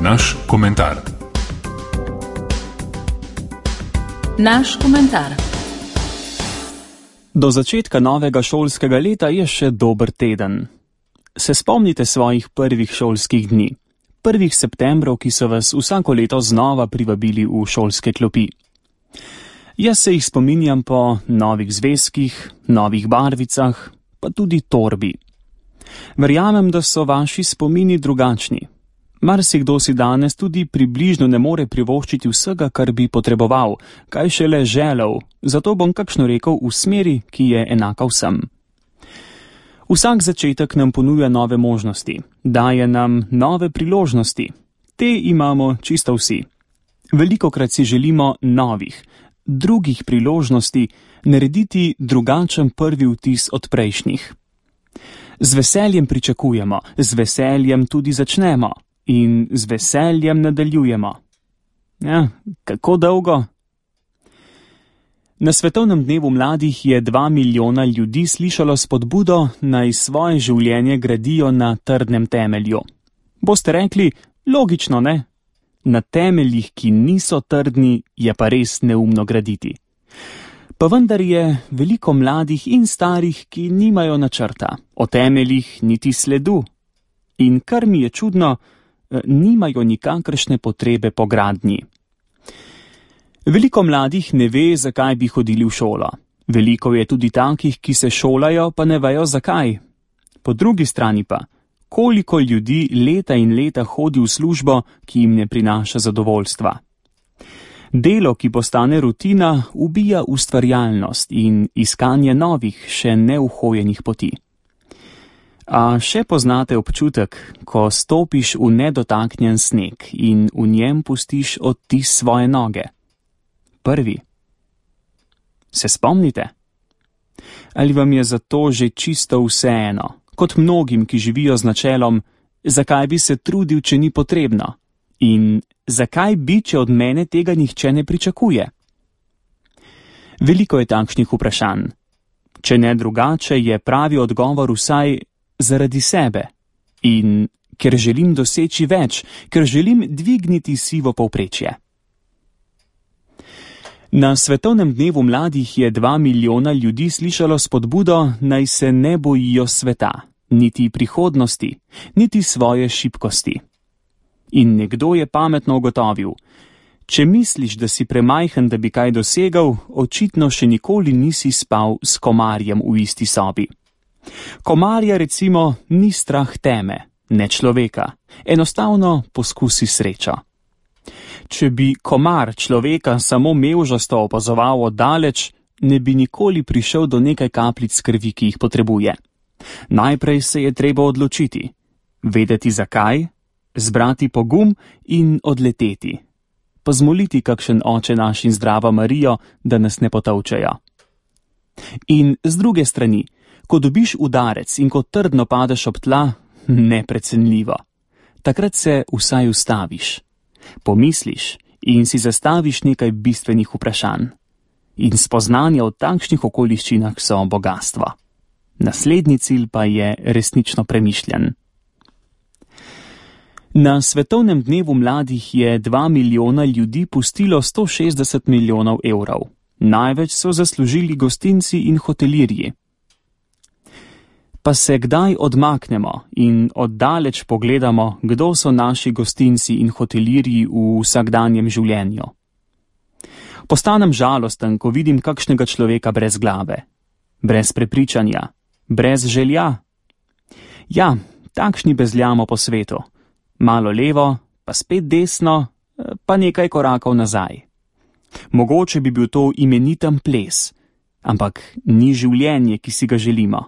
naš komentar. Naš komentar. Do začetka novega šolskega leta je še dober teden. Se spomnite svojih prvih šolskih dni, prvih septembrov, ki so vas vsako leto znova privabili v šolske klopi. Jaz se jih spominjam po novih zvezkih, novih barvicah, pa tudi torbi. Verjamem, da so vaši spomini drugačni. Marsikdo si danes tudi približno ne more privoščiti vsega, kar bi potreboval, kaj šele želel, zato bom kakšno rekel v smeri, ki je enaka vsem. Vsak začetek nam ponuja nove možnosti, daje nam nove priložnosti. Te imamo čisto vsi. Velikokrat si želimo novih, drugih priložnosti, narediti drugačen prvi vtis od prejšnjih. Z veseljem pričakujemo, z veseljem tudi začnemo in z veseljem nadaljujemo. Ja, kako dolgo? Na Svetovnem dnevu mladih je 2 milijona ljudi slišalo spodbudo, naj svoje življenje gradijo na trdnem temelju. Boste rekli, logično, ne? Na temeljih, ki niso trdni, je pa res neumno graditi. Pa vendar je veliko mladih in starih, ki nimajo načrta, o temeljih niti sledu. In kar mi je čudno, nimajo nikakršne potrebe po gradnji. Veliko mladih ne ve, zakaj bi hodili v šolo. Veliko je tudi takih, ki se šolajo, pa ne vejo zakaj. Po drugi strani pa, koliko ljudi leta in leta hodi v službo, ki jim ne prinaša zadovoljstva. Delo, ki postane rutina, ubija ustvarjalnost in iskanje novih, še neuhojenih poti. A še poznate občutek, ko stopiš v nedotaknjen sneg in v njem pustiš odtis svoje noge? Prvi. Se spomnite? Ali vam je zato že čisto vseeno, kot mnogim, ki živijo z načelom, zakaj bi se trudil, če ni potrebno? In zakaj bi, če od mene tega nihče ne pričakuje? Veliko je takšnih vprašanj. Če ne drugače, je pravi odgovor vsaj zaradi sebe. In ker želim doseči več, ker želim dvigniti sivo povprečje. Na Svetovnem dnevu mladih je 2 milijona ljudi slišalo spodbudo, naj se ne bojijo sveta, niti prihodnosti, niti svoje šibkosti. In nekdo je pametno ugotovil, če misliš, da si premajhen, da bi kaj dosegel, očitno še nikoli nisi spal s komarjem v isti sobi. Komarja recimo ni strah teme, ne človeka, enostavno poskusi srečo. Če bi komar človeka samo mevžasto opazoval oddaleč, ne bi nikoli prišel do nekaj kapljic krvi, ki jih potrebuje. Najprej se je treba odločiti, vedeti zakaj, zbrati pogum in odleteti. Pa zmoliti kakšen Oče naš in Zdrava Marijo, da nas ne potolčejo. In z druge strani, ko dobiš udarec in ko trdno padeš ob tla, neprecenljivo. Takrat se vsaj ustaviš. Pomisliš in si zastaviš nekaj bistvenih vprašanj. In spoznanja v takšnih okoliščinah so bogastvo. Naslednji cilj pa je resnično premišljen. Na Svetovnem dnevu mladih je 2 milijona ljudi pustilo 160 milijonov evrov. Največ so zaslužili gostinci in hotelirji. Pa se kdaj odmaknemo in oddaleč pogledamo, kdo so naši gostinci in hotelirji v vsakdanjem življenju. Postanem žalosten, ko vidim kakšnega človeka brez glave, brez prepričanja, brez želja. Ja, takšni bezljamo po svetu. Malo levo, pa spet desno, pa nekaj korakov nazaj. Mogoče bi bil to imeniten ples, ampak ni življenje, ki si ga želimo.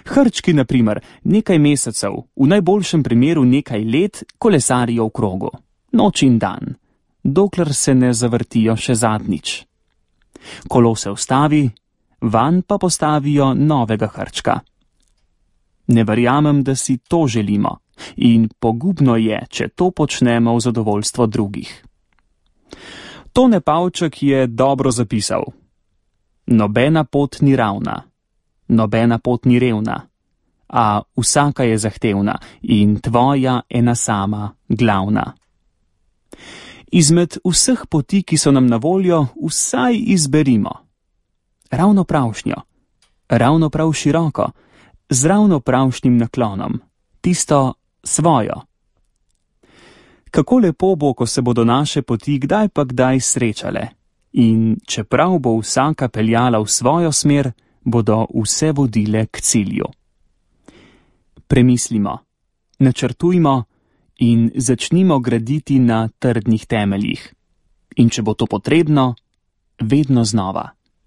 Hrčki, na primer, nekaj mesecev, v najboljšem primeru nekaj let, kolesarijo v krogu, noč in dan, dokler se ne zavrtijo še zadnjič. Kolo se ustavi, vanj pa postavijo novega hrčka. Ne verjamem, da si to želimo, in pogubno je, če to počnemo v zadovoljstvo drugih. Tone Pavček je dobro zapisal: nobena pot ni ravna, nobena pot ni revna, a vsaka je zahtevna in tvoja ena sama, glavna. Izmed vseh poti, ki so nam na voljo, vsaj izberimo ravno pravšnjo, ravno prav široko, z ravno pravšnjim naklonom, tisto svojo. Kako lepo bo, ko se bodo naše poti kdaj pa kdaj srečale, in čeprav bo vsaka peljala v svojo smer, bodo vse vodile k cilju. Premislimo, načrtujmo in začnimo graditi na trdnih temeljih. In če bo to potrebno, vedno znova.